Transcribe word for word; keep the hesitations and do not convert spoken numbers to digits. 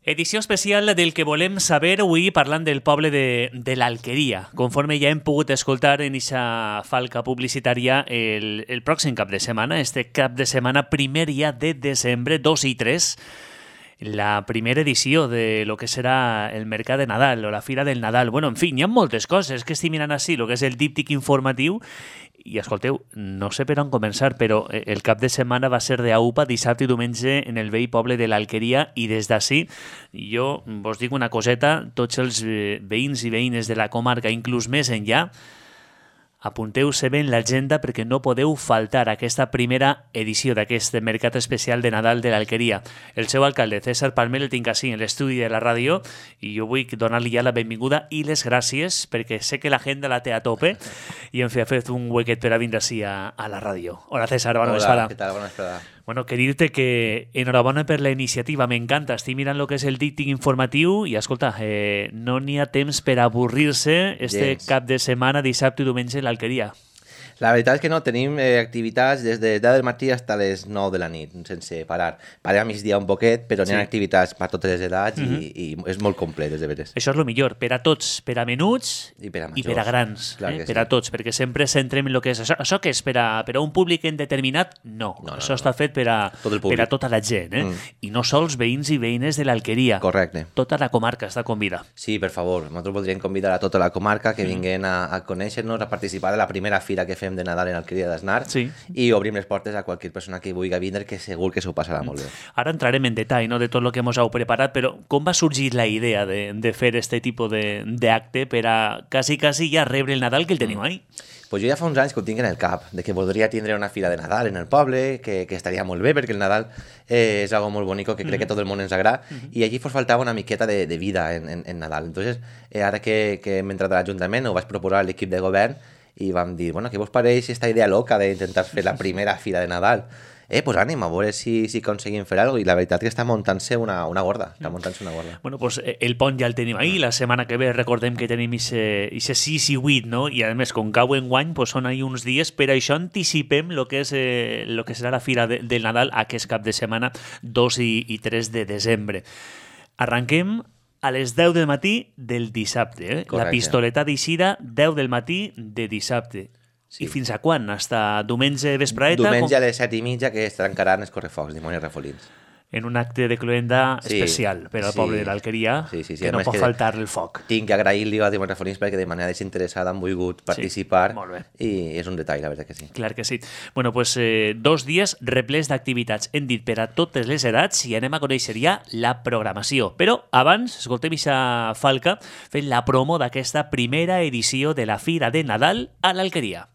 Edició especial del que volem saber avui parlant del poble de, de l'Alqueria. Conforme ja hem pogut escoltar en eixa falca publicitària el, el pròxim cap de setmana, este cap de setmana primer dia de desembre, dos i tres, la primera edició de lo que serà el Mercat de Nadal o la Fira del Nadal. Bueno, en fi, hi ha moltes coses que estic mirant així, el que és el díptic informatiu. I escolteu, no sé per on començar, però el cap de setmana va ser d'Aupa, dissabte i diumenge en el vell poble de l'Alqueria, i des d'ací jo vos dic una coseta, tots els veïns i veïnes de la comarca, inclús més enllà, apunteu-se bé en l'agenda perquè no podeu faltar aquesta primera edició d'aquest Mercat Especial de Nadal de l'Alqueria. El seu alcalde, César Palmer, el tinc així en l'estudi de la ràdio i jo vull donar-li ja la benvinguda i les gràcies perquè sé que l'agenda la té a tope i en fi ha fet un huequet per a vindre així a, a la ràdio. Hola César, bona vesprada. Hola, què tal? Bona vesprada. Bueno, que dir-te que enhorabona per la iniciativa, m'encanta. Estic mirant el que és el díptic informatiu i, escolta, eh, no n'hi ha temps per avorrir-se este Gens. cap de setmana, dissabte i diumenge, a l'Alqueria. La veritat és que no, tenim eh, activitats des de deu del matí fins a les nou de la nit, sense parar. Parem a migdia un poquet, però Sí. n'hi ha activitats per totes les edats Mhm. i, i és molt complet, és de veres. Això és el millor, per a tots, per a menuts I per a i majors. per a grans, Clar eh? que per sí. a tots, perquè sempre centrem en el que és això. Això que és per a, per a un públic indeterminat? No, No, no, això no, està no. fet per a, Tot el per públic. a tota la gent, eh? Mm. I no sols veïns i veïnes de l'Alqueria. Correcte. Tota la comarca està convida. Sí, per favor, nosaltres voldríem convidar a tota la comarca que vinguin a, a conèixer-nos, a participar de la primera fira que fem de Nadal en l'Alqueria d'Asnar Sí. i obrim les portes a qualsevol persona que vulgui vindre, que segur que s'ho passarà molt bé. Ara entrarem en detall, no?, de tot el que ens heu preparat, però com va sorgir la idea de, de fer este tipus de- d'acte per a quasi, quasi ja rebre el Nadal que el teniu ahí? Pues jo ja fa uns anys que ho tinc en el cap, de que voldria tindre una fira de Nadal en el poble, que, que estaria molt bé, perquè el Nadal eh, és algo molt bonico, que crec que tot el món ens agrada, i allí fos faltava una miqueta de, de vida en, en, en Nadal. Entonces, eh, ara que, que hem entrat a l'Ajuntament, ho vaig proposar a l'equip de govern, i vam dir, bueno, què vos pareix esta idea loca d'intentar fer la primera fira de Nadal? Eh, pues ànim, a veure si, si aconseguim fer alguna cosa, i la veritat que està muntant-se una, una gorda, està muntant-se una gorda. Bueno, pues eh, el pont ja el tenim ahí, la setmana que ve recordem que tenim ese sis i vuit, no? I a més, com cau en guany, pues són ahí uns dies, per això anticipem lo que, és, eh, lo que serà la fira de, del Nadal aquest cap de setmana, dos i tres de desembre. Arranquem a les deu del matí del dissabte, eh? La Correcte. pistoleta d'Eixida, deu del matí de dissabte. Sí. I fins a quan? Hasta diumenge vespraeta? Diumenge com- a les set i mitja que es trencaran els correfocs, dimonis refolins. En un acte de cloenda Sí, especial per al sí. poble de l'Alqueria, Sí, sí, sí, que a no més pot que- faltar el foc. Tinc que agrair-li a Dimonis Refolins perquè de manera desinteressada han volgut participar, molt bé. i és un detall, la veritat que sí. Clar que sí. Bueno, pues eh, dos dies replets d'activitats. Hem dit per a totes les edats i anem a conèixer ja la programació. Però abans, escoltem ixa falca fent la promo d'aquesta primera edició de la Fira de Nadal a l'Alqueria.